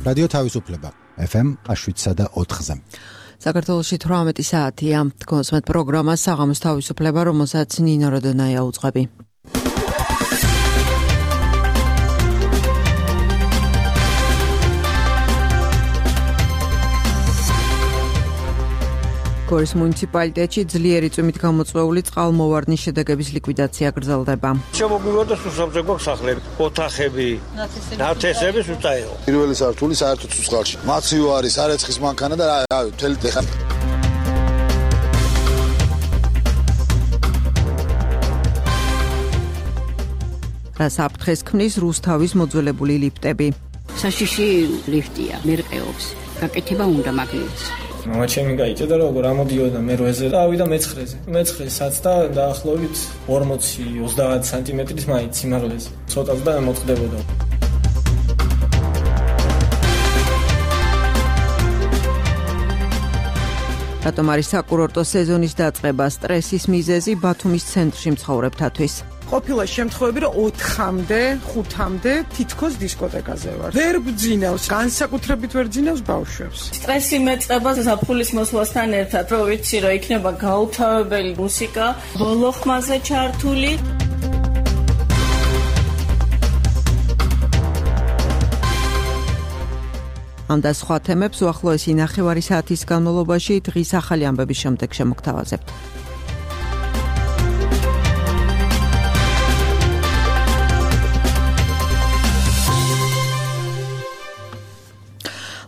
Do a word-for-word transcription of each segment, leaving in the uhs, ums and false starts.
რადიო თავისუფლება ეფ ემ შვიდსა და ოთხზე. საქართველოში თვრამეტი საათია. გონსმეთ პროგრამა საღამოს თავისუფლება, რომელსაც ნინო როდონაია უძღვები. გორის მუნიციპალიტეტში ძლიერი წვიმით გამოწვეული წყალმოვარდნის შედეგების ლიკვიდაცია გრძელდება. შემოგვიყვება სუსამზე გვაქვს სახლები, ოთახები, ნათესები სუსტაეო. პირველი სართული საერთოდ სუსხალში. მაციო არის, არეცხის მანქანა და რავი, მთელი ტეხა. რა საფრთხეს ქმნის რუსთავის მოძველებული ლიფტები. საშიში ლიფტია, მერყეობს. გაკეთება უნდა მაგნიტს. მამა ჩემი გაიჭედა როგორ ამოდიოდა მერვეზე და ავიდა მეცხრეზე. მეცხრესაც და დაახლოებით ორმოცი ოცდაათ სანტიმეტრის მაინც სიმაღლეზე. ცოტაც და მოწყდებოდა. რატომ არის საკურორტო სეზონის დაწყება სტრესის მიზეზი ბათუმის ცენტრში მცხოვრებთათვის? ყოფილა შემთხვევები, რომ ოთხამდე, ხუთამდე თითქოს დისკოტეკაზე ვარ. ვერ ბძინავს, განსაკუთრებით ვერ ბძინავს ბავშვებს. სტრესი მეწყება ზაფხულის მოსვლასთან ერთად, რომ ვიცი, რომ იქნება გაუთავებელი მუსიკა, ბოლო ხმაზე ჩართული. ამ და სხვა თემებს უახლოესი ნახევარი საათის განმავლობაში დღის ახალი ამბების შემდეგ შემოგთავაზებთ.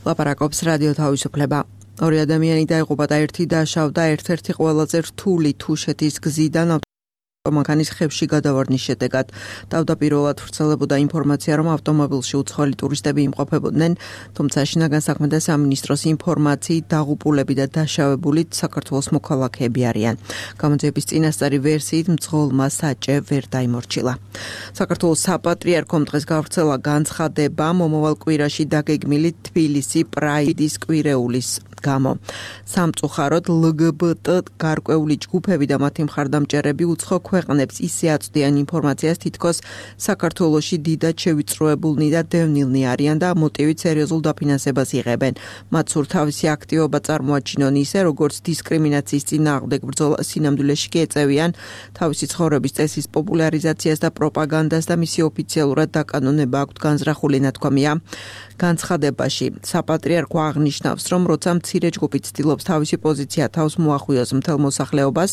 ლაპარაკობს რადიო თავისუფლება. ორი ადამიანი დაიღუპა და ერთი დაშავდა ერთ-ერთი ყველაზე რთული თუშეთის გზიდან ავტომანქანის ხევში გადავარდნის შედეგად. თავდაპირველად ვრცელებოდა ინფორმაცია, რომ ავტომობილში უცხოელი ტურისტები იმყოფებოდნენ, თუმცა შინაგან საქმეთა სამინისტროს ინფორმაციით დაღუპულები და დაშავებულით საქართველოს მოქალაქეები არიან. გამოძიების წინასწარი ვერსიით მძღოლმა საჭე ვერ დაიმორჩილა. საქართველოს საპატრიარქომ დღეს გავრცელა განცხადება მომავალ კვირაში დაგეგმილი თბილისი პრაიდის კვირეულის გამო. სამწუხაროდ ელ გი ბი ტი გარკვეული ჯგუფები და მათი მხარდამჭერები უცხო ქვეყნებს ისე აწვდიან ინფორმაციას, თითქოს საქართველოში დიდად შევიწროებულნი და დევნილნი არიან და მოტივით სერიოზულ დაფინანსებას იღებენ. მათ სურთ თავისი აქტივობა წარმოაჩინონ ისე, როგორც დისკრიმინაციის წინააღმდეგ ბრძოლა სინამდვილეში კი ეწევიან თავისი ცხოვრების წესის პოპულარიზაციას და პროპაგანდას და მისი ოფიციალურად დაკანონება აქვთ განზრახული ნათქვამია. განცხადებაში საპატრიარქო აღნიშნავს, რომ როცა მცირე ჯგუფი ცდილობს თავისი პოზიცია თავს მოახვიოს მთელ მოსახლეობას,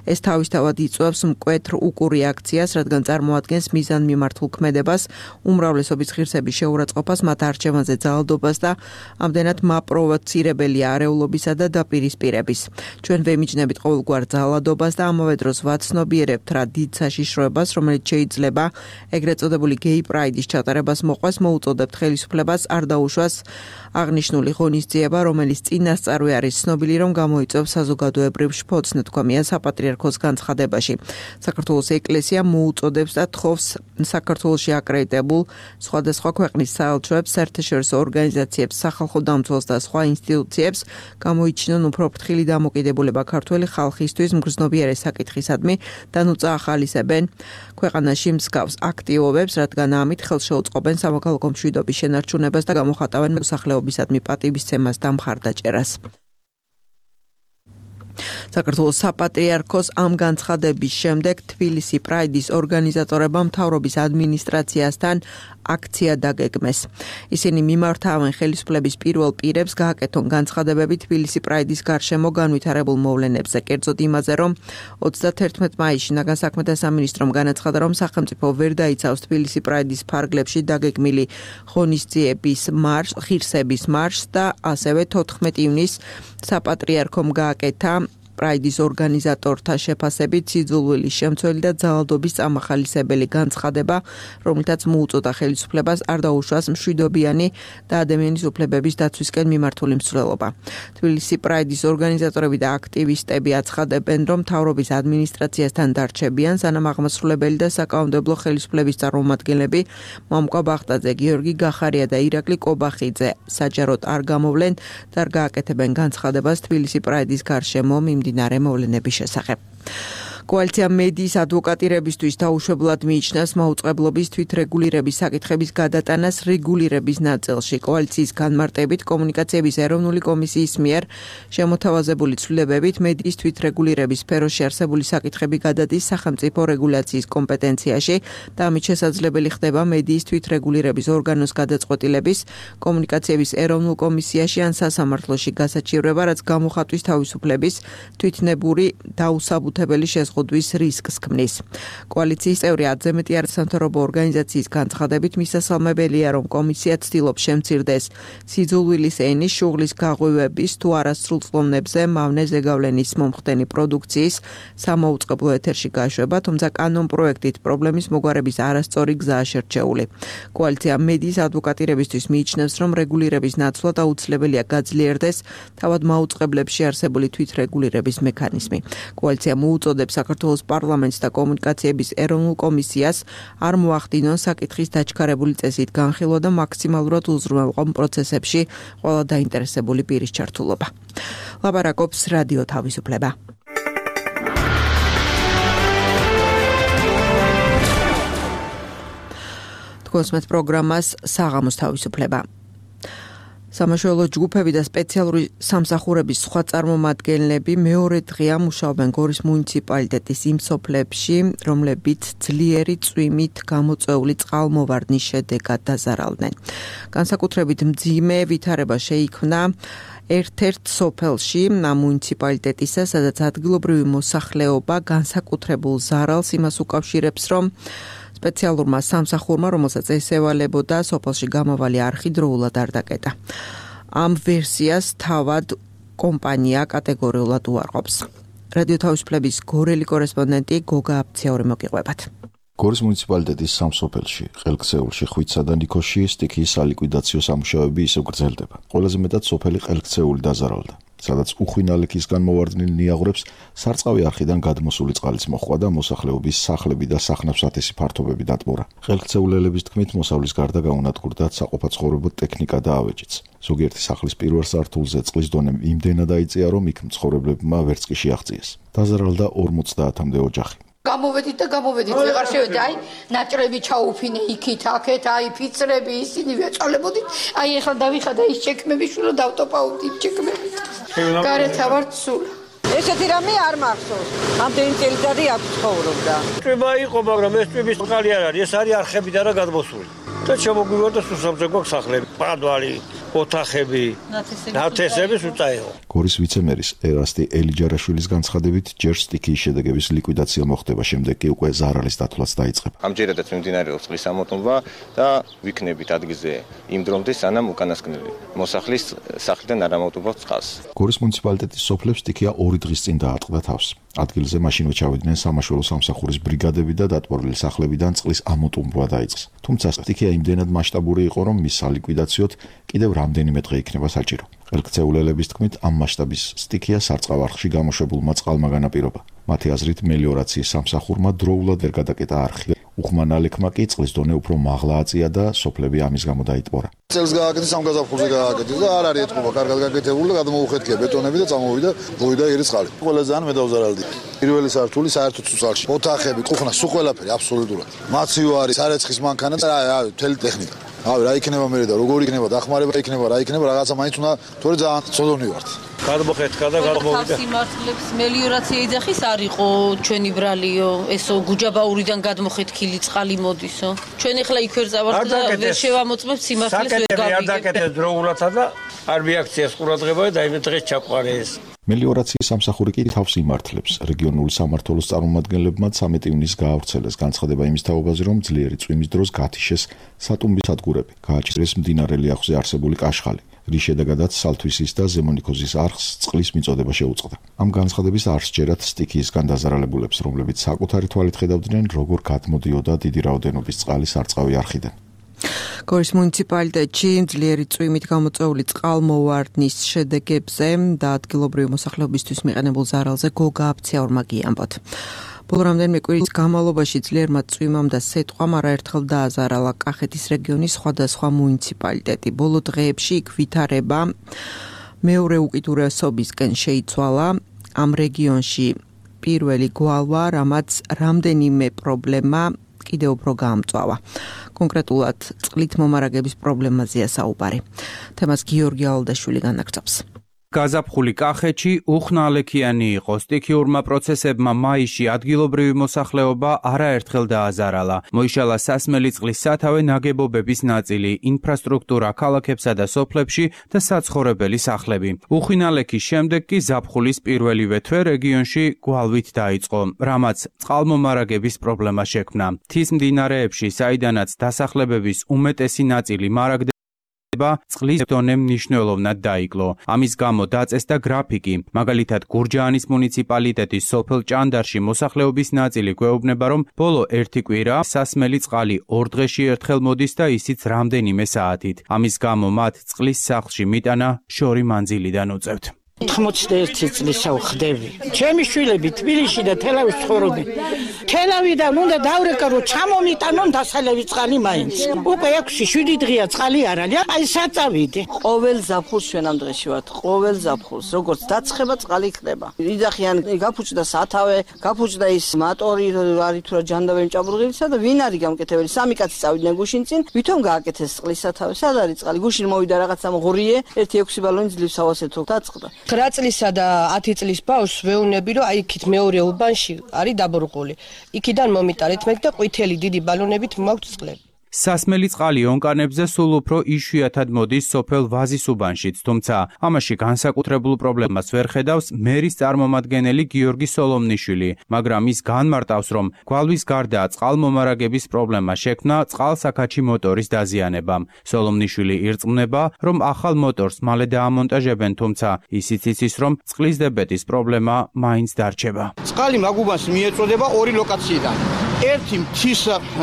ეს თავისთავად იწვევს მკვეთრ უკურ რეაქციას, რადგან წარმოადგენს მიზანმიმართულ ქმედებას, უმრავლესობის ღირსების შეურაცხყოფას, მათ არჩევანზე ძალადობას და ამდენად მაპროვოცირებელია არეულობისა და დაპირისპირების. ჩვენ ვემიჯნებით ყოველგვარ ძალადობას და ამავე დროს ვაცნობიერებთ რა დიდ საშიშროებას, რომელიც შეიძლება ეგრეთ წოდებული გეი პრაიდის ჩატარებას მოყვეს, მოუწოდებთ ხელისუფლებას არ დაუშვას აღნიშნული ღონისძიება, რომელიც წინასწარვე არის ცნობილი, რომ გამოიწვევს საზოგადოებრივ შფოთს, ნათქვამია საპატრიარქოს განცხადებაში. საქართველოს ეკლესია მოუწოდებს და თხოვს საქართველოში აკრედიტებულ სხვადასხვა ქვეყნის საელჩოებს, საერთაშორისო ორგანიზაციებს, სახალხო დამცველს და სხვა ინსტიტუციებს გამოიჩინონ უფრო ფრთხილი დამოკიდებულება ქართველი ხალხისთვის მგრძნობიარე საკითხისადმი და ნუწა ახალისებენ ქვეყანაში მსგავს აქტივობებს, რადგან ამით ხელშეუწყობენ სამოქალაქო მშვიდობის შენარჩუნებას და გამოხატავენ მოსახლეობისადმი პატივისცემას და მხარდაჭერას. საქართველოს საპატრიარქოს ამ განცხადების შემდეგ თბილისი პრაიდის ორგანიზატორებმა მთავრობის ადმინისტრაციასთან აქცია დაგეგმეს. ისინი მიმართავენ ხელისუფლების პირველ პირებს გააკეთონ განცხადებები თბილისი პრაიდის გარშემო განვითარებულ მოვლენებზე, კერძოდ იმაზე, რომ ოცდათერთმეტ მაისში შინაგან საქმეთა სამინისტრომ განაცხადა, რომ სახელმწიფო ვერ დაიცავს თბილისი პრაიდის ფარგლებში დაგეგმილი ღონისძიების მარშს, ღირსების მარშს და ასევე თოთხმეტი ივნისს საპატრიარქომ გააკეთა პრაიდის ორგანიზატორთა შეფასებით სიძულვილის შემცველი და ძალადობის წამახალისებელი განცხადება, რომელთაც მოუწოდა ხელისუფლებას არ დაუშვას მშვიდობიანი და ადამიანის უფლებების დაცვისკენ მიმართული მსვლელობა. თბილისი პრაიდის ორგანიზატორები და აქტივისტები აცხადებენ, რომ მთავრობის ადმინისტრაციასთან დარჩებიან, სანამ აღმასრულებელი და საკანონმდებლო ხელისუფლების წარმომადგენლები მამუკა ბახტაძე, გიორგი გახარია და ირაკლი კობახიძე საჯაროდ არ გამოვლენ და არ გააკეთებენ განცხადებას თბილისი პრაიდის გარშემო მიმდინარე მოვლენების შესახებ. კოალიცია მედიის ადვოკატირებისთვის დაუშვებლად მიიჩნევს მაუწყებლობის თვითრეგულირების საკითხების გადატანას რეგულირების ნაწილში. კოალიციის განმარტებით კომუნიკაციების ეროვნული კომისიის მიერ შემოთავაზებული ცვლილებებით მედიის თვითრეგულირების სფეროში არსებული საკითხები გადადის სახელმწიფო რეგულაციის კომპეტენციაში და ამით შესაძლებელი ხდება მედიის თვითრეგულირების ორგანოს გადაწყვეტილების კომუნიკაციების ეროვნულ კომისიაში ან სასამართლოში გასაჩივრება, რაც გამოხატვის თავისუფლების თვითნებური დაუსაბუთებელი შეზღუდვის რისკს ქმნის. კოალიციის წევრი ათზე მეტი არასამთავრობო ორგანიზაციის განცხადებით მისასალმებელია, რომ კომისია ცდილობს შემცირდეს სიძულვილის ენის, შუღლის გაღვივების თუ არასრულწლოვნებზე მავნე ზეგავლენის მომხდენი პროდუქციის სამაუწყებლო ეთერში გაშვება, თუმცა კანონპროექტით პრობლემის მოგვარების არასწორი გზაა შერჩეული. კოალიცია მედიის ადვოკატირებისთვის მიიჩნევს, რომ რეგულირების ნაცვლად აუცილებელია გაძლიერდეს თავად მაუწყებლებში არსებული თვითრეგულირების მექანიზმი. კოალიცია მოუწოდებს საქართველოს პარლამენტს და კომუნიკაციების ეროვნულ კომისიას არ მოახდინონ საკითხის დაჩქარებული წესით განხილვა და მაქსიმალურად უზრუნველყო პროცესებში ყველა დაინტერესებული პირის ჩართულობა. ლაპარაკობს რადიო თავისუფლება. თქვენს პროგრამას საღამოს თავისუფლება. სამაშველო ჯგუფები და სპეციალური სამსახურების სხვა წარმომადგენლები მეორე დღეა მუშაობენ გორის მუნიციპალიტეტის იმ სოფლებში, რომლებიც ძლიერი წვიმით გამოწვეული წყალმოვარდნის შედეგად დაზარალდნენ. განსაკუთრებით მძიმე ვითარება შეიქმნა ერთ-ერთ სოფელში მუნიციპალიტეტისა, სადაც ადგილობრივი მოსახლეობა განსაკუთრებულ ზარალს იმას უკავშირებს, რომ სპეციალურმა სამსახურმა, რომელსაც ესევალებოდა, სოფელში გამავალი არხი დროულად არ დაკეტა. ამ ვერსიას თავად კომპანია კატეგორიულად უარყოფს. რადიო თავისუფლების გორელი კორესპონდენტი გოგა აფციური მოგიყვებათ. გორის მუნიციპალიტეტის სამ სოფელში, ყელქცეულში, ხვიცსა და ნიქოში სტიქიის სალიკვიდაციო სამუშაოები ისევ გრძელდება. ყველაზე მეტად სოფელი ყელქცეული დაზარალდა, სადაც უხვინალექისგან მოვარდნილ ნიაღვრებს სარწყავი არხიდან გადმოსული წყალიც მოჰყვა და მოსახლეობის სახლები და სახნავსათესი ფართობები დატბორა. ყელქცეულელების თქმით, მოსავლის გარდა გაუნადგურდათ საყოფაცხოვრებო ტექნიკა და ავეჯიც. ზოგიერთი სახლის პირველ სართულზე წყლის დონე იმდენად აიწია, რომ იქ მცხოვრებლებმა ვერც კი შეაღწიეს. დაზარალდა ორმოცდაათამდე ოჯახი. გამოვედით და გამოვედით, ვეღარ შევედი, აი, ნაჭრები ჩაუფინე იქით, აქეთ, აი, ფიცრები, ისინი ვეწალებოდით, აი, ახლა დავიხადა ის ჩექმები, შვილო დავტოპაუდი იმ ჩექმებით. გარეთ ავარ სულ. ესეთი რამე არ მახსოვს. ამდენი წელიწადი აქ ცხოვრობდა. წვიმა იყო, მაგრამ ეს წვიმის წყალი არ არის, ეს არის არხებიდან რა გადმოსული. და შემოგვივარდა სუსამზე გვაქვს სახლები, პადვალი, ოთახები, ნათესები სუწაეო. გორის ვიცემერის ერასტი ელიჯარაშვილის განცხადებით, ჯერ სტიქიის შედეგების ლიკვიდაცია მოხდება, შემდეგ კი უკვე ზარალის დათვლაც დაიწყება. ამჯერადაც მიმდინარეობს წყლის ამოტვირთვა და ვიქნებით ადგილზე იმ დრომდე, სანამ უკანასკნელი მოსახლის სახლიდან არ ამოტვირთვავს წყალს. გორის მუნიციპალიტეტის სოფლებს სტიქია ორი დღის წინ დაატყდა თავს. ადგილზე მაშინვე ჩავიდნენ სამაშველო სამსახურის ბრიგადები და დატბორილი სახლებიდან წყლის ამოტვირთვა დაიწყეს. თუმცა სტიქია იმდენად მასშტაბური იყო, რომ მის სალიკვიდაციოდ კიდევ რამდენიმე დღე იქნება საჭირო. ყელქცეულელების თქმით, ამ მასშტაბის სტიქია სარწყავ არხში გამოშვებულმა წყალმა განაპირობა. მათი აზრით, მელიორაციის სამსახურმა დროულად ვერ გადაკეტა არხი. უხმანალექმა კი წყლის დონე უფრო მაღლა აწია და სოფლები ამის გამო დაიტბორა. წელს გააკეთეს, ამ გაზაფხულზე გააკეთეს და არ არის ეთყობა, კარგად გაკეთებული და გადმოუხეთქია ბეტონები და წამოვიდა, მოვიდა ერი წყალი. ყველაზე ძალიან მე დავზარალდი. პირველი სართული საერთოდ სუცალში. ოთახები, კუხნა, სულ ყველაფერი აბსოლუტურად. მაციო არის, სარეცხის მანქანა და აი, მთელი ტექნიკა. აი, რა იქნება მე და როგორ იქნება დახმარება იქნება, რა იქნება, რაღაცა მაინც უნდა, თორე ძალიან ცოდონი ვართ. გადმოხეთქა და გადმოვიდა. სიმართლებს მელიორაცია იძახის არ იყო ჩვენი ბრალიო, ესო გუჯაბაურიდან გადმოხეთქილი წყალი მოდისო. ჩვენ ახლა იქ ვერ წავართ და ვერ შევამოწმებთ სიმართლეს ვერ გავიგებთ. არ დაკეთეს დროულათა და არ მიაქციეს ყურადღება და იმ დღეს ჩაყარე ეს. მელიორაციის სამსახური კი თავს იმართლებს. რეგიონული სამმართველოს წარმომადგენლებმა ცამეტ ივნისს გაავრცელეს განცხადება იმის თაობაზე, რომ ძლიერი წვიმის დროს გათიშეს სატუმბის სადგურები, გააჩერეს მდინარე ლიახვზე არსებული კაშხალი, რის შედეგადაც სალთვისის და ზემონიქოზის არხს წყლის მიწოდება შეუწყდა. ამ განცხადების არ სჯერათ სტიქიისგან დაზარალებულებს, რომლებიც საკუთარი თვალით ხედავდნენ, როგორ გადმოდიოდა დიდი რაოდენობის წყალი სარწყავი არხიდან. გორის მუნიციპალიტეტში ძლიერი წვიმით გამოწვეული წყალმოვარდნის შედეგებზე და ადგილობრივი მოსახლეობისთვის მიყენებულ ზარალზე გოგა აფციაურმა გიამბოთ. ბოლო რამდენიმე კვირის განმავლობაში ძლიერმა წვიმამ და სეტყვამ არაერთხელ დააზარალა კახეთის რეგიონის სხვადასხვა მუნიციპალიტეტი. ბოლო დღეებში იქ ვითარება მეორე უკიდურესობისკენ შეიცვალა. ამ რეგიონში პირველი გვალვა, რამაც რამდენიმე პრობლემა კიდევ უფრო გაამწვავა. კონკრეტულად წყლით მომარაგების პრობლემაზეა საუბარი. თემას გიორგი ალდაშვილი განაგრძობს. გაზაფხული კახეთში უხნალექიანი იყო. სტიქიურმა პროცესებმა მაისში ადგილობრივი მოსახლეობა არაერთხელ დააზარალა. მოიშალა სასმელი წყლის სათავე ნაგებობების ნაწილი, ინფრასტრუქტურა ქალაქებსა და სოფლებში და საცხოვრებელი სახლები. უხნალექის შემდეგ კი ზაფხულის პირველივე თვე რეგიონში გვალვით დაიწყო, რამაც წყალმომარაგების პრობლემა შექმნა. მთის მდინარეებში, საიდანაც დასახლებების უმეტესი ნაწილი მარაგდება, წყლის დონე მნიშვნელოვნად დაიკლო. ამის გამო დაწესდა გრაფიკი. მაგალითად, გურჯაანის მუნიციპალიტეტის სოფელ ჭანდარში მოსახლეობის ნაწილი გვეუბნება, რომ ბოლო ერთი კვირა სასმელი წყალი ორ დღეში ერთხელ მოდის და ისიც რამდენიმე საათით. ამის გამო მათ წყლის სახლში მიტანა შორი მანძილიდან უწევთ. თხმოცდაერთი წლისა ვხდები. ჩემი შვილები თბილისში და თელავის ცხოვრობენ. თელავიდან უნდა დავრეკა, რომ ჩამომიტანონ დასალევი წყალი მაინც. უკვე ექვსი შვიდი დღეა წყალი არ არის. აი საწავიდე. ყოველ ზაფხულს ჩვენ ამ დღეში ვართ. ყოველ ზაფხულს, როგორც დაცხება წყალი ხდება. იძახიან გაფუჭდა სათავე, გაფუჭდა ის მატორი, არის თუ რა ჯანდაბები ჭაბურღილისა და ვინ არის გამკეთებელი? სამი კაცი წავიდნენ გუშინ წინ, ვითომ გააკეთეს წყლის სათავე. სად არის წყალი? გუშინ მოვიდა რაღაცა ღურიე, ერთი ექვსი ბალონი ძლივს ავასეთო დაწყდა. ცხრა წლისა და ათი წლის ბავშვს ვეუბნები, რომ აი იქით მეორე უბანში არის დაბურღული. იქიდან მომიტანეთ მე და ყვითელი დიდი ბალონებით მაქვს წყლები. სასმელი წყალი ონკანებზე სულ უფრო იშვიათად მოდის სოფელ ვაზის უბანშიც, თუმცა ამაში განსაკუთრებულ პრობლემას ვერ ხედავს მერის წარმომადგენელი გიორგი სოლომნიშვილი, მაგრამ ის განმარტავს, რომ გვალვის გარდა წყალმომარაგების პრობლემა შექმნა წყალსაქაჩი მოტორის დაზიანებამ. სოლომნიშვილი ირწმუნება, რომ ახალ მოტორს მალე დაამონტაჟებენ, თუმცა ისიც იცის, რომ წყლის დებეტის პრობლემა მაინც დარჩება. წყალი მაგუბანს მიეწოდება ორი ლოკაციიდან. ერთი მთის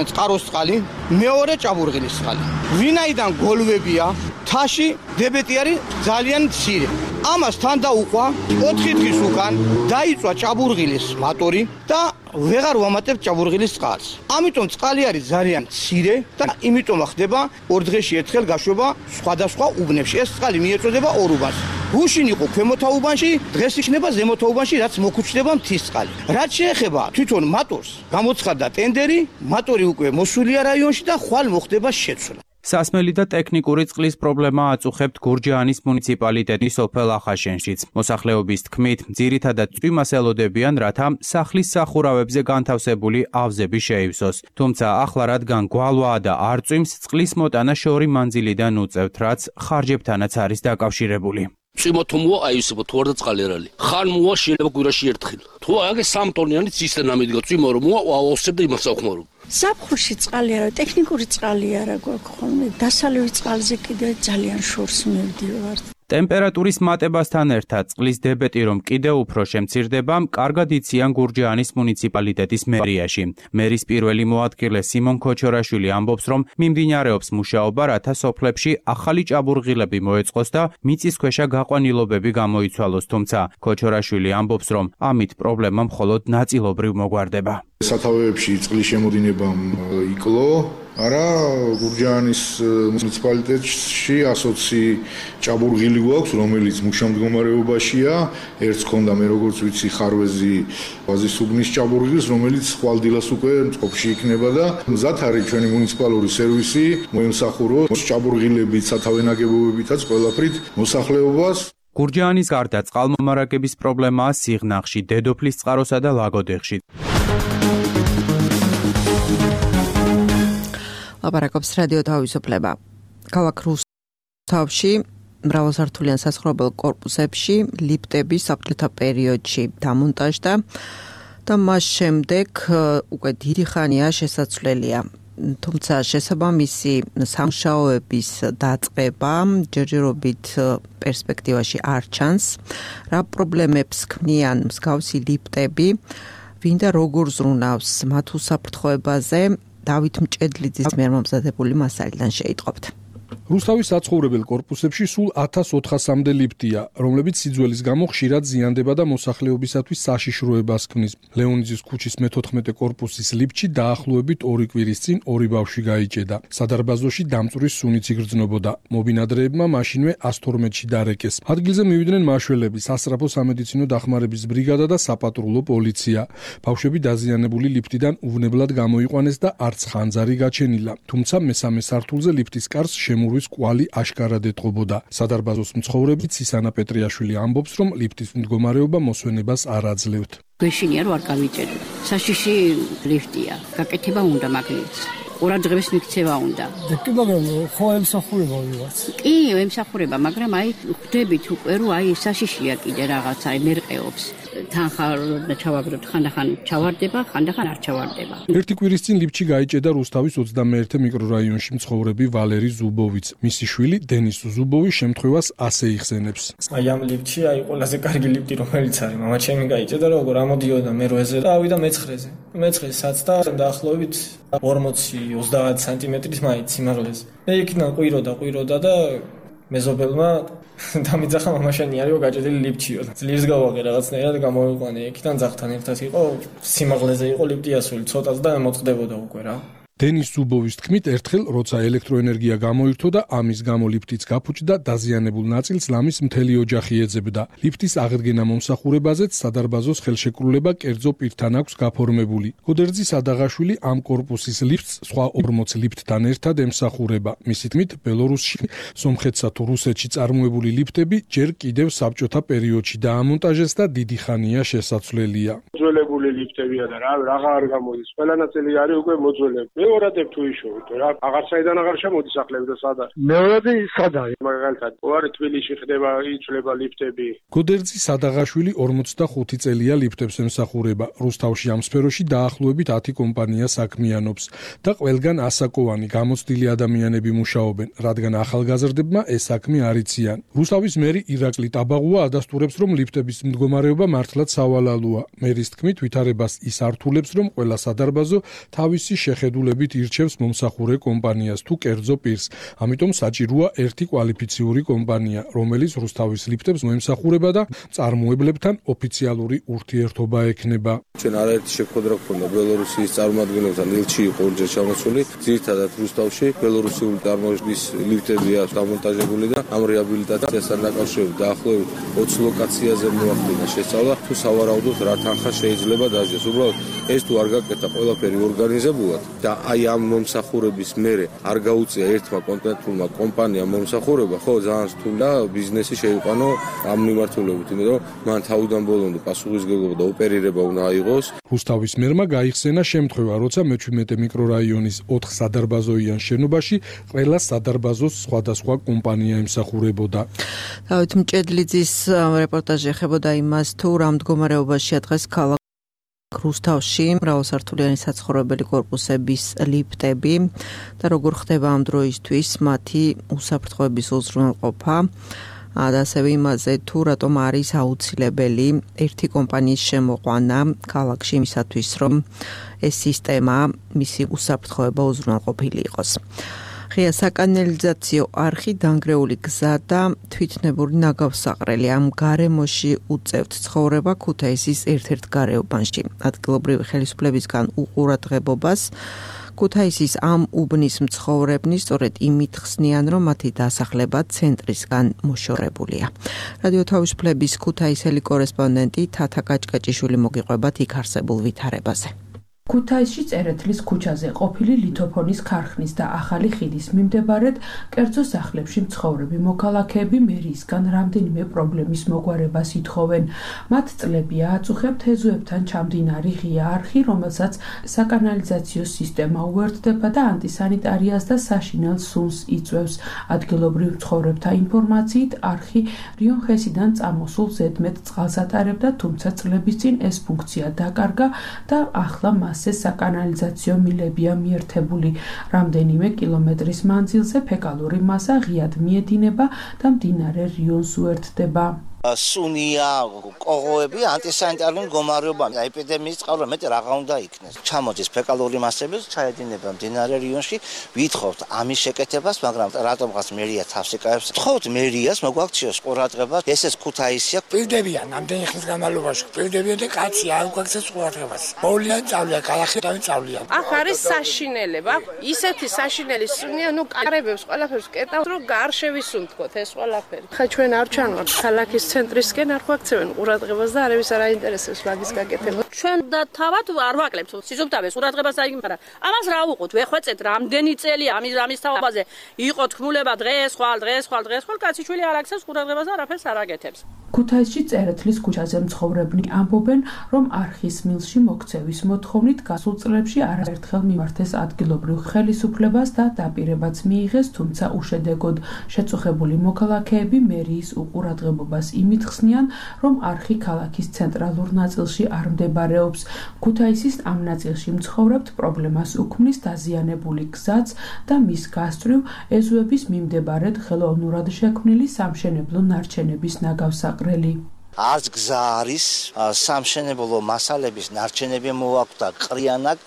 წყაროს წყალი, მეორე ჭაბურღილის წყალი. ვინაიდან გოლვებია, თაში დებეტი არის ძალიან მცირე. ამას თან დაუყვა ოთხი დღის უკან დაიწვა ჭაბურღილის მატორი და ვეღარ ვამატებ ჭაბურღილის წყალს. ამიტომ წყალი არის ძალიან მცირე და იმიტომ ხდება ორ დღეში ერთხელ გაშვება სხვადასხვა უბნებში. ეს წყალი მიეწოდება ორ უბანს. გუშინ იყო ქვემოთა უბანში, დღეს იქნება ზემოთა უბანში, რაც მოგუჩდება მთის წყალი. რაც შეეხება თვითონ მატორს, გამოცხადდა ტენდერი, მატორი უკვე მოსულია რაიონში და ხვალ მოხდება შეცვლა. სასმელი და ტექნიკური წყლის პრობლემა აწუხებთ გურჯაანის მუნიციპალიტეტის სოფელ ახაშენშიც. მოსახლეობის თქმით, ძირითადად წვიმას ელოდებიან, რათა სახლის სახურავებზე განთავსებული ავზები შეივსოს. თუმცა ახლა რადგან გვალვაა და არ წვიმს, წყლის მოტანა შორი მანძილიდან უწევთ, რაც ხარჯებთანაც არის დაკავშირებული. წვიმათო მოა აი ისე თუ არ და წყალი არ არის. ხან მოა შეიძლება კვირაში ერთხელ. თუ აგე სამ ტონიანი ცისტერნა მიდგა წვიმა რომ მოა ავსებ და იმას ახმარო. ზაფხულში წყალი არა, ტექნიკური წყალი არა გვაქვს ხოლმე. დასალევი წყალზე კიდე ძალიან შორს მივდივართ. ტემპერატურის მატებასთან ერთად წყლის დებეტი რომ კიდევ უფრო შემცირდება, კარგად იციან გურჯაანის მუნიციპალიტეტის მერიაში. მერის პირველი მოადგილე სიმონ ქოჩორაშვილი ამბობს, რომ მიმდინარეობს მუშაობა, რათა სოფლებში ახალი ჭაბურღილები მოეწყოს და მიწისქვეშა გაყვანილობები გამოიცვალოს, თუმცა ქოჩორაშვილი ამბობს, რომ ამით პრობლემა მხოლოდ ნაწილობრივ მოგვარდება. სათავეებში წყლის შემოდინებამ იკლო, არა გურჯაანის მუნიციპალიტეტში ასოცი ჭაბურღილი გვაქვს, რომელიც მუშა მდგომარეობაშია. ერთს ქონდა მე როგორც ვიცი ხარვეზი ვაზის უბნის ჭაბურღილს, რომელიც ხვალდილას უკვე წყობაში იქნება და მზად არის ჩვენი მუნიციპალური სერვისი მოემსახუროს ჭაბურღილებით, სათავე ნაგებობებითაც ყველაფრით მოსახლეობას. გურჯაანის გარდა წყალმომარაგების პრობლემაა სიღნაღში, დედოფლის წყაროსა და ლაგოდეხში. ლაპარაკობს რადიო თავისუფლება. ქალაქ რუსთავში მრავალსართულიან საცხოვრებელ კორპუსებში ლიფტები საფრთხეთა პერიოდში დამონტაჟდა და მას შემდეგ უკვე დიდი ხანია შესაძლებელია. თუმცა შესაბამისი სამუშაოების დაწყება ჯერჯერობით პერსპექტივაში არ ჩანს. რა პრობლემებს ქმნიან მსგავსი ლიფტები, ვინ და როგორ ზრუნავს მათ უსაფრთხოებაზე, დავით მჭედლიძის მიერ მომზადებული მასალიდან შეიტყობთ. რუსთავის საცხოვრებელ კორპუსებში სულ ათას ოთხასამდე ლიფტია, რომლებიც სიძველის გამო ხშირად ზიანდება და მოსახლეობისათვის საშიშროებას ქმნის. ლეონიძის ქუჩის მეთოთხმეტე კორპუსის ლიფტში დაახლოებით ორი კვირის წინ ორი ბავშვი გაიჭედა. სადარბაზოში დამწვრის სუნიც იგრძნობოდა. მობინადრეებმა მაშინვე ას თორმეტში დარეკეს. ადგილზე მივიდნენ მაშველები, სასწრაფო სამედიცინო დახმარების ბრიგადა და საპატრულო პოლიცია. ბავშვები დაზიანებული ლიფტიდან უვნებლად გამოიყვანეს და არც ხანძარი გაჩენილა. თუმცა მესამე სართულზე ლიფტის კარს შემურვის კვალი აშკარად ეტყობოდა. სადარბაზოს მცხოვრები ცისანა პეტრიაშვილი ამბობს, რომ ლიფტის მდგომარეობა მოსვენებას არ აძლევთ. გვეშინია რომ არ გავიჭეროთ. საშიში ლიფტია. გაკეთება უნდა მაგნიტს. ყურადღების მიქცევა უნდა. კი, მაგრამ ხო ემსახურება ვიღაც. კი, ემსახურება, მაგრამ აი ხვდებით უკვე რომ აი საშიშია კიდე რაღაცა, აი მერყეობს. თანხარ და ჩავაგდოთ, ხანდახან ჩავარდება, ხანდახან არ ჩავარდება. ერთი კვირის წინ ლიფტში გაიჭედა რუსთავის ოცდამეერთე მიკრორაიონში მცხოვრები ვალერი ზუბოვიც. მისი შვილი დენის ზუბოვი შემთხვევას ასე იხსენებს. აი ამ ლიფტში აი ყველაზე კარგი ლიფტი რომელიც არის, მამა ჩემი გაიჭედა როგორ ამოდიოდა მერვეზე და ავიდა მეცხრეზე. მეცხრესაც და დაახლოებით ორმოცი ოცდაათ სანტიმეტრის მაინც სიმაღლეზე. მე იქიდან ყვიროდა, ყვიროდა და მეზობელმა დამიძახა მამაშენი არისო გაჭედილი ლიფტშიო. ძლიერს გავაღე რაღაცნაირად გამოიყვანე. იქიდან ძაღთან ერთად იყო, სიმაღლეზე იყო ლიფტი ასული, ცოტაც და მოწყდებოდა უკვე რა. დენის ზუბოვის თქმით, ერთხელ როცა ელექტროენერგია გამოირთო და ამის გამო ლიფტიც გაფუჭდა, დაზიანებულ ნაწილს ლამის მთელი ოჯახი ეძებდა. ლიფტის აღდგენა მომსახურებაზეც სადარბაზოს ხელშეკრულება კერძო პირთან აქვს გაფორმებული. გოდერძი სადაღაშვილი ამ კორპუსის ლიფტს სხვა ორმოც ლიფტთან ერთად ემსახურება. მისი თქმით, ბელორუსში, სომხეთსა თუ რუსეთში წარმოებული ლიფტები ჯერ კიდევ საბჭოთა პერიოდში დაამონტაჟეს და დიდი ხანია შესაძლელია. მოძველებული ლიფტებია და რა რაღა არ გამოდის. ყველა ნაწილი არის უკვე მოძველებული. მეორადებ თუ იშოვით რა აღარსაიდან აღარ შემოდის სახლები და სად არის მეორადი სად არის მაგალითად ოარი თბილისში ხდება იცვლება ლიფტები გოდერძი სადაღაშვილი ორმოცდახუთი წელია ლიფტებს ემსახურება რუსთავში ამ სფეროში დაახლოებით ათი კომპანია საქმიანობს და ყველგან ასაკოვანი გამოცდილი ადამიანები მუშაობენ რადგან ახალგაზრდებმა ეს საქმე არ იციან რუსთავის მერი ირაკლი ტაბაღუა ადასტურებს რომ ლიფტების მდგომარეობა მართლაც სავალალოა მერის თქმით ვითარებას ის ართულებს რომ ყველა სადარბაზო თავისი შეხედულებით ირჩევს მომსახურე კომპანიას თუ კერძო პირს. ამიტომ საჭიროა ერთი კვალიფიციური კომპანია, რომელიც რუსთავის ლიფტებს მოემსახურება და წარმოებლებთან ოფიციალური ურთიერთობა ექნება. ჩვენ არაერთი შეხვედრა გქონდა ბელორუსიის წარმომადგენლებთან, ილჩი იყო ორჯერ ჩამოსული, ძირითადად რუსთავში ბელორუსიული წარმოების ლიფტებია დამონტაჟებული და ამ რეაბილიტაციასთან დაკავშირებით დაახლოებით ოცი ლოკაციაზე მოახდინა შესწავლა, თუ სავარაუდოდ რა თანხა შეიძლება დაჟეს. უბრალოდ ეს თუ არ გაკეთა ყველაფერი ორგანიზებულად და აი ამ მომსახურების მერე არ გაუწია ერთმა კონკრეტულმა კომპანიამ მომსახურება, ხო ძალიან რთულია ბიზნესი შეიყვანო ამ მიმართულებით, იმიტომ რომ მან თავიდან ბოლომდე პასუხისმგებლობა და ოპერირება უნდა აიღოს. რუსთავის მერმა გაიხსენა შემთხვევა, როცა მეჩვიდმეტე მიკრორაიონის ოთხ სადარბაზოიან შენობაში ყველა სადარბაზოს სხვადასხვა კომპანია ემსახურებოდა. დავით მჭედლიძის რეპორტაჟი ეხებოდა იმას, თუ რა მდგომარეობაშია დღეს ქალაქ რუსთავში მრავალსართულიანი საცხოვრებელი კორპუსების ლიფტები და როგორ ხდება ამ დროისთვის მათი უსაფრთხოების უზრუნველყოფა და ასევე იმაზე თუ რატომ არის აუცილებელი ერთი კომპანიის შემოყვანა ქალაქში იმისათვის რომ ეს სისტემა მისი უსაფრთხოება უზრუნველყოფილი იყოს. ღია საკანალიზაციო არხი დანგრეული გზა და თვითნებური ნაგავსაყრელი ამ გარემოში უწევთ ცხოვრება ქუთაისის ერთ-ერთ გარეუბანში. ადგილობრივი ხელისუფლებისგან უყურადღებობას ქუთაისის ამ უბნის მცხოვრებნი სწორედ იმით ხსნიან, რომ მათი დასახლება ცენტრისგან მოშორებულია. რადიო თავისუფლების ქუთაისელი კორესპონდენტი თათა კაჭკაჭიშვილი მოგიყვებათ იქ არსებულ ვითარებაზე. ქუთაისში წერეთლის ქუჩაზე ყოფილი ლითოფონის ქარხნის და ახალი ხიდის მიმდებარედ კერძო სახლებში მცხოვრები მოქალაქეები მერიისგან რამდენიმე პრობლემის მოგვარებას ითხოვენ. მათ წლებია აწუხებთ ეზოებთან ჩამდინარი ღია არხი, რომელსაც საკანალიზაციო სისტემა უერთდება და ანტისანიტარიას და საშინელ სუნს იწვევს. ადგილობრივ მცხოვრებთა ინფორმაციით არხი რიონხესიდან წამოსულ ზედმეტ წყალს ატარებდა, თუმცა წლების წინ ეს ფუნქცია დაკარგა და ახლა მასზე საკანალიზაციო მილებია მიერთებული. რამდენიმე კილომეტრის მანძილზე ფეკალური მასა ღიად მიედინება და მდინარე რიონს უერთდება. სუნია, კოღოები, ანტისანიტარული მდგომარეობა, ეპიდემიის წყარო მეტი რაღა უნდა იქნეს. ჩამოდის ფეკალური მასები, ჩაედინება მდინარე რიონში, ვითხოვთ ამის შეკეთებას, მაგრამ რატომღაც მერია თავს იკავებს. ვთხოვთ მერიას, მოგვაქციოს ყურადღება, ესეც ქუთაისია. პირდებიან ამდენი ხნის განმავლობაში, პირდებიან და კაცი არ გვაქცევს ყურადღებას. მოვლიან წავლიან, კალახი და წავლიან. ახ არის საშინელება, ისეთი საშინელი სუნია, ნუ კარებებს ყველაფერს კეტავს, რომ არ შევისუნთქოთ ეს ყველაფერი. ხა ჩვენ არ ჩანვართ ქალაქის ცენტრისკენ, არ გვაქცევენ ყურადღებას და არავის არ აინტერესებს მაგის გაკეთება. ჩვენ და თავად არ ვაკლებთ სიზუგდაბეს ყურადღებას აიგ, მაგრამ ამას რა უყოთ, ვეხვეწეთ რამდენი წელი ამის ამის თავაზე იყო თქმულება დღეს ხვალ დღეს ხვალ დღეს ხვალ კაციშვილი არ აქცევს ყურადღებას და არაფერს არ აკეთებს. ქუთაისში წერეთლის ქუჩაზე მცხოვრებნი ამბობენ, რომ არხის მილში მოქცევის მოთხოვნით გასულ წლებში არაერთხელ მიმართეს ადგილობრივ ხელისუფლებას და დაპირებაც მიიღეს, თუმცა უშედეგოდ. შეწუხებული მოქალაქეები მერიის უყურადღებობას იმით ხსნიან, რომ არხი ქალაქის ცენტრალურ ნაწილში არ მდებარეობს. ქუთაისის ამ ნაწილში მცხოვრებთ პრობლემას უქმნის დაზიანებული გზაც და მის გასწვრივ ეზოების მიმდებარედ ხელოვნურად შექმნილი სამშენებლო ნარჩენების ნაგავსაყრელი. არც გზა არის, სამშენებლო მასალების ნარჩენები მოაქვს ყრიანაკ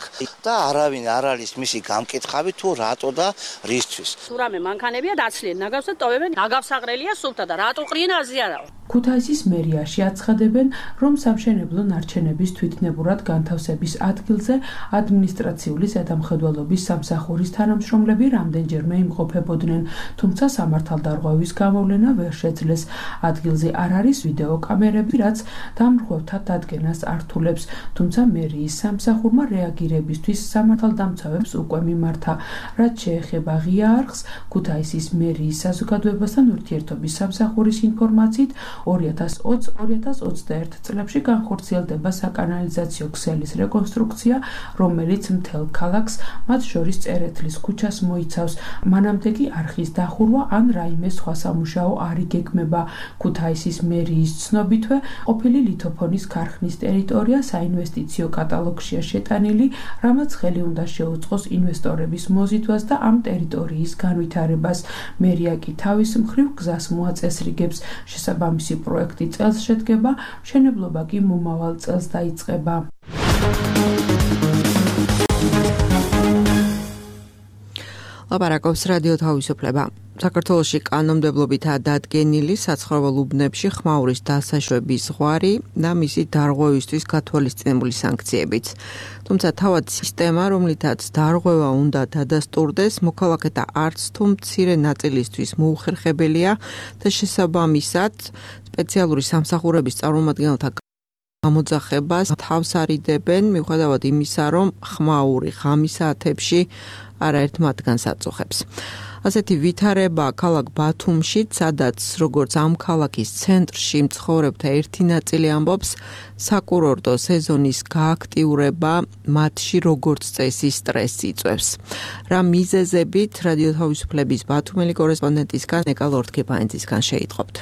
და არავინ არ არის მისი გამკითხავი თუ რატო და რისთვის. თუ რამე მანქანებია დაცლიან ნაგავს და ტოვებენ, ნაგავსაყრელია სუფთა და რატო ყრინაზე არაო. ქუთაისის მერიაში აცხადებენ, რომ სამშენებლო ნარჩენების თვითნებურად განთავსების ადგილზე ადმინისტრაციული ზედამხედველობის სამსახურის თანამშრომლები რამდენჯერმე იმყოფებოდნენ, თუმცა სამართალდარღვევის გამოვლენა ვერ შეძლეს. ადგილზე არ არის ვიდეო კამერები, რაც დამრღვევთა დადგენას ართულებს, თუმცა მერიის სამსახურმა რეაგირებისთვის სამართალდამცავებს უკვე მიმართა. რაც შეეხება ღია არხს, ქუთაისის მერიის საზოგადოებასთან ურთიერთობის სამსახურის ინფორმაციით ორი ათას ოცი ორი ათას ოცდაერთი წლებში განხორციელდება საკანალიზაციო ქსელის რეკონსტრუქცია, რომელიც მთელ ქალაქს, მათ შორის წერეთლის ქუჩას მოიცავს. მანამდე კი არხის დახურვა ან რაიმე სხვა სამუშაო არ იგეგმება. ქუთაისის მერიის ცნობითვე, ყოფილი ლითოფონის ქარხნის ტერიტორია საინვესტიციო კატალოგშია შეტანილი, რამაც ხელი უნდა შეუწყოს ინვესტორების მოზიდვას და ამ ტერიტორიის განვითარებას. მერია კი თავის მხრივ გზას მოაწესრიგებს. შესაბამისი პროექტი წელს შედგება, მშენებლობა კი მომავალ წელს დაიწყება. ლაპარაკობს რადიო თავისუფლება. საქართველოში კანონმდებლობითაა დადგენილი საცხოვრებელ უბნებში ხმაურის დასაშვების ზღვარი და მისი დარღვევისთვის გათვალისწინებული სანქციებიც. თუმცა თავად სისტემა, რომლითაც დარღვევა უნდა დადასტურდეს, მოქალაქეთა არც თუ მცირე ნაწილისთვის მოუხერხებელია და შესაბამისად სპეციალური სამსახურების წარმომადგენელთა გამოძახებას თავს არიდებენ, მიუხედავად იმისა, რომ ხმაური ღამის საათებში არაერთ მათგანს აწუხებს. ასეთი ვითარება ქალაქ ბათუმში, სადაც როგორც ამ ქალაქის ცენტრში მცხოვრებთა ერთი ნაწილი ამბობს, საკურორტო სეზონის გააქტიურება მათში როგორც წესი სტრესს იწვევს. რა მიზეზებით რადიო თავისუფლების ბათუმელი კორესპონდენტისგან ნეკა ლორთქიფანძისგან შეიტყობთ.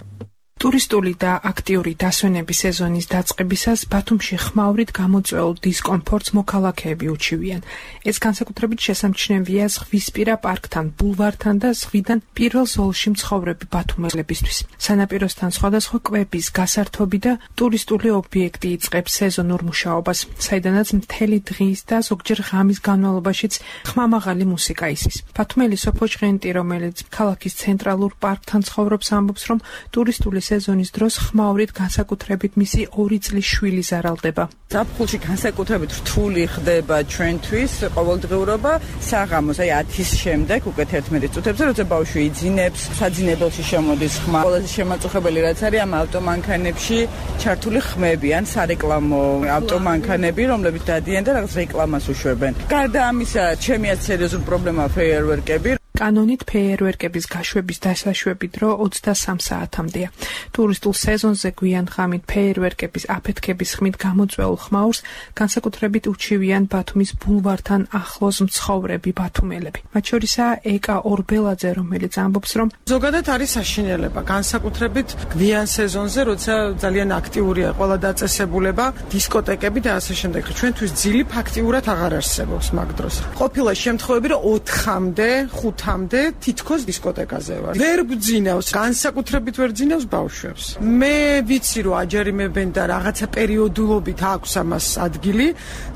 ტურისტული და აქტიური დასვენების სეზონის დაწყებისას ბათუმში ხმაურით გამოწვეულ დისკომფორტს მოქალაქეები უჩივიან. ეს განსაკუთრებით შესამჩნევია ზღვისპირა პარკთან, ბულვართან და ზღვიდან პირველ ზოლში მცხოვრები ბათუმელებისთვის. სანაპიროსთან სხვადასხვა კვების, გასართობი და ტურისტული ობიექტი იწყებს სეზონურ მუშაობას, საიდანაც მთელი დღის და ზოგჯერ ღამის განმავლობაშიც ხმამაღალი მუსიკა ისის. ბათუმელი სოფო ჭღენტი, რომელიც ქალაქის ცენტრალურ პარკთან ცხოვრობს, ამბობს, რომ ტურისტული სეზონის დროს ხმაურით განსაკუთრებით მისი ორი წლის შვილი ზარალდება. ზაფხულში განსაკუთრებით რთული ხდება ჩვენთვის ყოველდღიურობა საღამოს, აი ათის შემდეგ უკვე თერთმეტი წუთებზე, როცა ბავშვი იძინებს, საძინებელში შემოდის ხმა. ყველაზე შემაწუხებელი რაც არის ამ ავტომანქანებში ჩართული ხმები ან სარეკლამო ავტომანქანები, რომლებიც დადიან და რაღაც რეკლამას უშვებენ. გარდა ამისა, ჩემი ათ სერიოზული პრობლემაა ფეიერვერკები. კანონით ფეიერვერკების გაშვების დასაშვები დრო ოცდასამ საათამდეა. ტურისტულ სეზონზე გვიან ღამით ფეიერვერკების აფეთქების ხმით გამოწვეულ ხმაურს განსაკუთრებით უჩივიან ბათუმის ბულვართან ახლოს მცხოვრები ბათუმელები. მათ შორისაა ეკა ორბელაძე, რომელიც ამბობს, რომ ზოგადად არის საშინელება, განსაკუთრებით გვიან სეზონზე, როცა ძალიან აქტიურია ყველა დაწესებულება, დისკოტეკები და ასე შემდეგ. ჩვენთვის ძილი ფაქტიურად აღარ არსებობს მაგ დროს. ყოფილა შემთხვევები, რომ ოთხამდე, ხუთ ხუთამდე თითქოს დისკოტეკაზე ვარ. ვერ გძინავს, განსაკუთრებით ვერ ძინავს ბავშვებს. მე ვიცი რომ აჯერიმებენ და რაღაცა პერიოდულობით აქვს ამას ადგილი,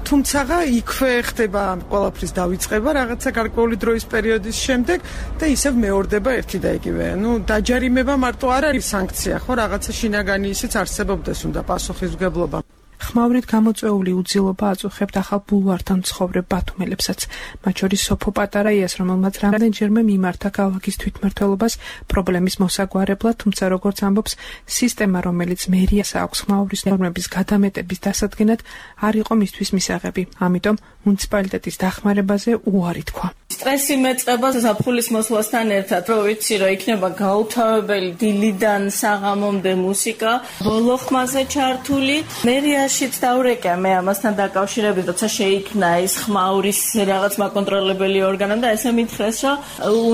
თუმცა იქვე ხდება ყველაფრის დავიწყება რაღაცა გარკვეული დროის პერიოდის შემდეგ და ისევ მეორდება ერთი და იგივე. ნუ დაჯარიმება მარტო არ არის სანქცია, ხო, რაღაცა შინაგანი ისიც არსებობდეს უნდა პასუხისმგებლობა. ხმაურით გამოწვეული უძილობა აწუხებთ ახალ ბულვართან მცხოვრებ ბათუმელებსაც, მათ შორის სოფო პატარაიას, რომელმაც რამდენჯერმე მიმართა ქალაქის თვითმმართველობას პრობლემის მოსაგვარებლად, თუმცა როგორც ამბობს, სისტემა, რომელიც მერიას აქვს ხმაურის ნორმების გადამეტების დასადგენად, არ იყო მისთვის მისაღები. ამიტომ მუნიციპალიტეტის დახმარებაზე უარი თქვა. სტრესი მეწყება ზაფხულის მოსვლასთან ერთად, რომ ვიცი, რომ იქნება გაუთავებელი დილიდან საღამომდე მუსიკა, ბოლო ხმაზე ჩართული. მერიაშიც დავრეკა მე ამასთან დაკავშირებით, როცა შეიქმნა ეს ხმაურის რაღაც მაკონტროლებელი ორგანო და ესე მითხრეს, რომ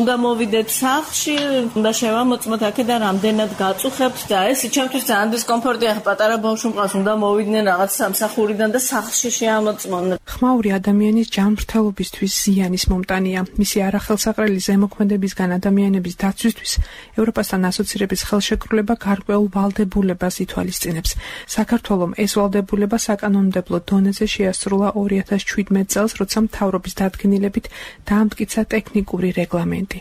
უნდა მოვიდეთ სახლში, უნდა შევამოწმოთ აქედან რამდენად გაწუხებთ და ეს ჩემთვის ძალიან დისკომფორტია, პატარა ბავშვი მყავს, უნდა მოვიდნენ რაღაც სამსახურიდან და სახლში შეამოწმონ. ხმაური ადამიანის ჯანმრთელობისთვის ზიანის მომტანია. მისი არახელსაყრელი ზემოქმედებისგან ადამიანების დაცვისთვის ევროპასთან ასოცირების ხელშეკრულება გარკვეულ ვალდებულებას ითვალისწინებს. საქართველომ ეს ვალდებულება საკანონმდებლო დონეზე შეასრულა ორი ათას შვიდმეტ წელს, როცა მთავრობის დადგენილებით დაამტკიცა ტექნიკური რეგლამენტი.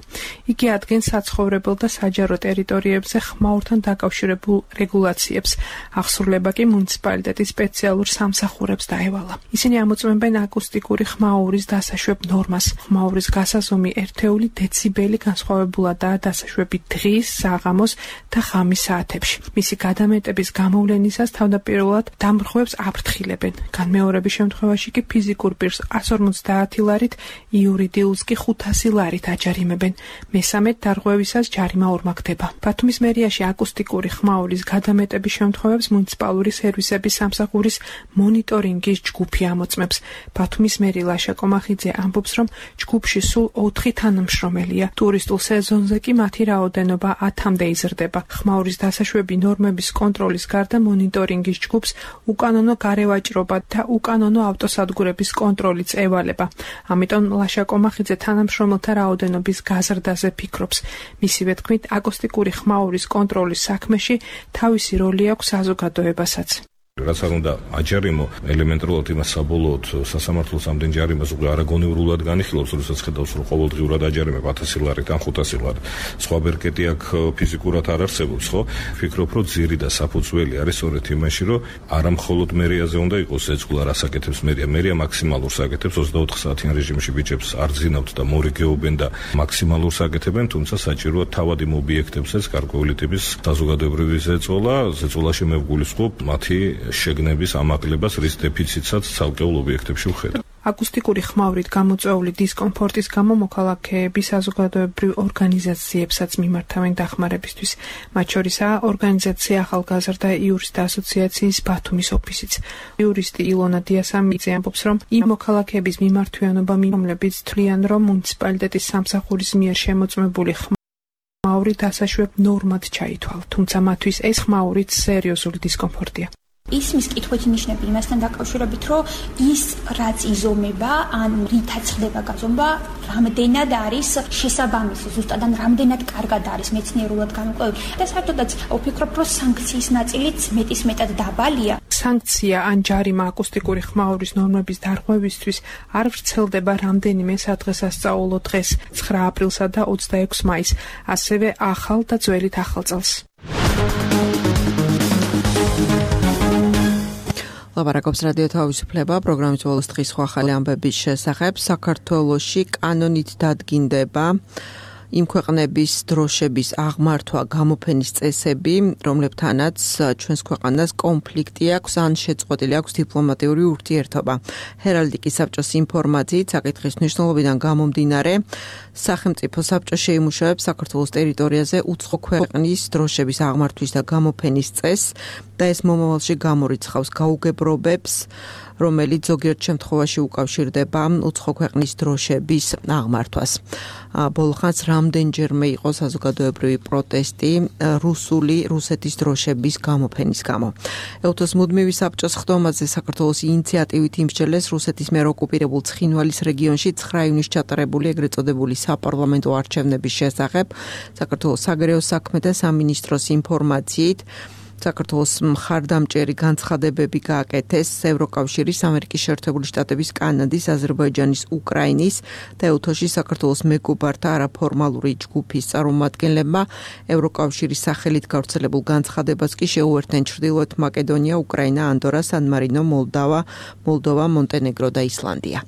იგი ადგენს საცხოვრებელ და საჯარო ტერიტორიებზე ხმაურთან დაკავშირებულ რეგულაციებს. აღსრულება კი მუნიციპალიტეტის სპეციალურ სამსახურებს დაევალა. ისინი ამოწმებენ აკუსტიკური ხმაურის დასაშვებ ნორმას. ხმაურის გასაზომი ერთეული დეციბელი განსხვავებულადაა დასაშვები დღის, საღამოს და ღამის საათებში. მისი გადამეტების გამოვლენისას თავდაპირველად დამრღვევებს აფრთხილებენ. განმეორების შემთხვევაში კი ფიზიკურ პირს εκατს ორმოცდაათი ლარით, იურიდიულს კი ხუთასი ლარით აჯარიმებენ. მესამედ დარღვევისას ჯარიმა ორმაგდება. ბათუმის მერიაში აკუსტიკური ხმაურის გადამეტების შემთხვევებს მუნიციპალური სერვისების სამსახურის მონიტორინგის ჯგუფი ამოწმებს. ბათუმის მერი ლაშა კომახიძე ამბობს, რომ ჯგუფში სულ ოთხი თანამშრომელია. ტურისტულ სეზონზე კი მათი რაოდენობა ათამდე იზრდება. ხმაურის დასაშვები ნორმების კონტროლის გარდა მონიტორინგის ჯგუფს უკანონო გარევაჭრობა და უკანონო ავტოსადგურების კონტროლიც ევალება. ამიტომ ლაშა კომახიძე თანამშრომელთა რაოდენობის გაზრდაზე ფიქრობს. მისივე თქმით, აკუსტიკური ხმაურის კონტროლის საქმეში თავისი როლი აქვს საზოგადოებასაც. რაც არ უნდა აჯარიმო ელემენტარულად იმას საბოლოოდ სასამართლოს ამდენ ჯარიმას უკვე არაგონივრულად განიხილავს, როდესაც ხედავს, რომ ყოველდღიურად აჯარიმებ ათასი ლარით ან ხუთასი ლარით. სხვა ბერკეტი აქ ფიზიკურად არ არსებობს, ხო? ფიქრობ, რომ ძირი და საფუძველი არის სწორედ იმაში, რომ არა მხოლოდ მერიაზე უნდა იყოს ზეწოლა, რას აკეთებს მერია. მერია მაქსიმალურს აკეთებს ოცდაოთხ საათიან რეჟიმში ბიჭებს არ ძინავთ და მორიგეობენ და მაქსიმალურს აკეთებენ, თუმცა საჭიროა თავად იმ ობიექტებსაც გარკვეული ტიპის საზოგადოებრივი ზეწოლა, ზეწოლაში მე ვგულისხმობ მათი შეგნების ამაღლებას, რის დეფიციტსაც ცალკეულ ობიექტებში ვხედავ. აკუსტიკური ხმაურით გამოწვეული დისკომფორტის გამო მოქალაქეები საზოგადოებრივ ორგანიზაციებსაც მიმართავენ დახმარებისთვის. მათ შორისაა ორგანიზაცია ახალგაზრდა იურისტთა ასოციაციის ბათუმის ოფისიც. იურისტი ილონა დიასამიძე ამბობს, რომ იმ მოქალაქეების მიმართვიანობა, რომლებიც თვლიან, რომ მუნიციპალიტეტის სამსახურის მიერ შემოწმებული ხმაური დასაშვებ ნორმად ჩაითვალა, თუმცა მათთვის ეს ხმაურიც სერიოზული დისკომფორტია. ისმის კითხვით ნიშნები იმასთან დაკავშირებით, რომ ის რაც იზომება, ან რითაც ხდება გაზომვა, რამდენად არის შესაბამისი, ზუსტად ან რამდენად კარგად არის მეცნიერულად გამოკვლევი. და საერთოდაც ვფიქრობ, რომ სანქციის ნაწილიც მეტისმეტად დაბალია. სანქცია ან ჯარიმა აკუსტიკური ხმაურის ნორმების დარღვევისთვის არ ვრცელდება რამდენიმე სადღესასწაულო დღეს, ცხრა აპრილსა და ოცდაექვსი მაისს, ასევე ახალ და ძველით ახალ წელს. ლაპარაკობს რადიო თავისუფლება, პროგრამის ბოლოს დღის სხვა ახალი ამბების შესახებ. საქართველოში კანონით დადგინდება იმ ქვეყნების დროშების აღმართვა, გამოფენის წესები, რომლებთანაც ჩვენს ქვეყანას კონფლიქტი აქვს ან შეწყვეტილი აქვს დიპლომატიური ურთიერთობა. ჰერალდიკის საბჭოს ინფორმაციით, საკითხის მნიშვნელობიდან გამომდინარე, სახელმწიფო საბჭო შეიმუშავებს საქართველოს ტერიტორიაზე უცხო ქვეყნის დროშების აღმართვის და გამოფენის წესს და ეს მომავალში გამორიცხავს გაუგებრობებს რომელიც ზოგიერთ შემთხვევაში უკავშირდება უცხო ქვეყნის დროშების აღმართვას. ბოლო ხანს რამდენჯერმე იყო საზოგადოებრივი პროტესტი რუსული რუსეთის დროშების გამოფენის გამო. ეუთოს მუდმივი საბჭოს ხდომაზე საქართველოს ინიციატივით იმსჯელეს რუსეთის მიერ ოკუპირებულ ცხინვალის რეგიონში ცხრა ივნის ჩატარებული ეგრეთ წოდებული საპარლამენტო არჩევნების შესახებ. საქართველოს საგარეო საქმეთა სამინისტროს ინფორმაციით საქართველოს მხარდამჭერი განცხადებები გააკეთეს ევროკავშირის, ამერიკის შეერთებული შტატების, კანადის, აზერბაიჯანის, უკრაინის და ეუთოში საქართველოს მეგობართა არაფორმალური ჯგუფის წარმომადგენლებმა. ევროკავშირის სახელით გავრცელებულ განცხადებას კი შეუერთდნენ ჩრდილოეთ მაკედონია, უკრაინა, ანდორა, სან-მარინო, მოლდავა, მოლდოვა, მონტენეგრო და ისლანდია.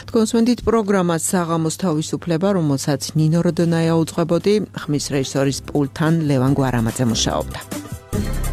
თქვენს მენდით პროგრამა საღამოს თავისუფლება, რომელსაც ნინო როდონაია უძღვებოდი, ხმის რეჟისორის პულტთან ლევან გვარამაძე მუშაობდა.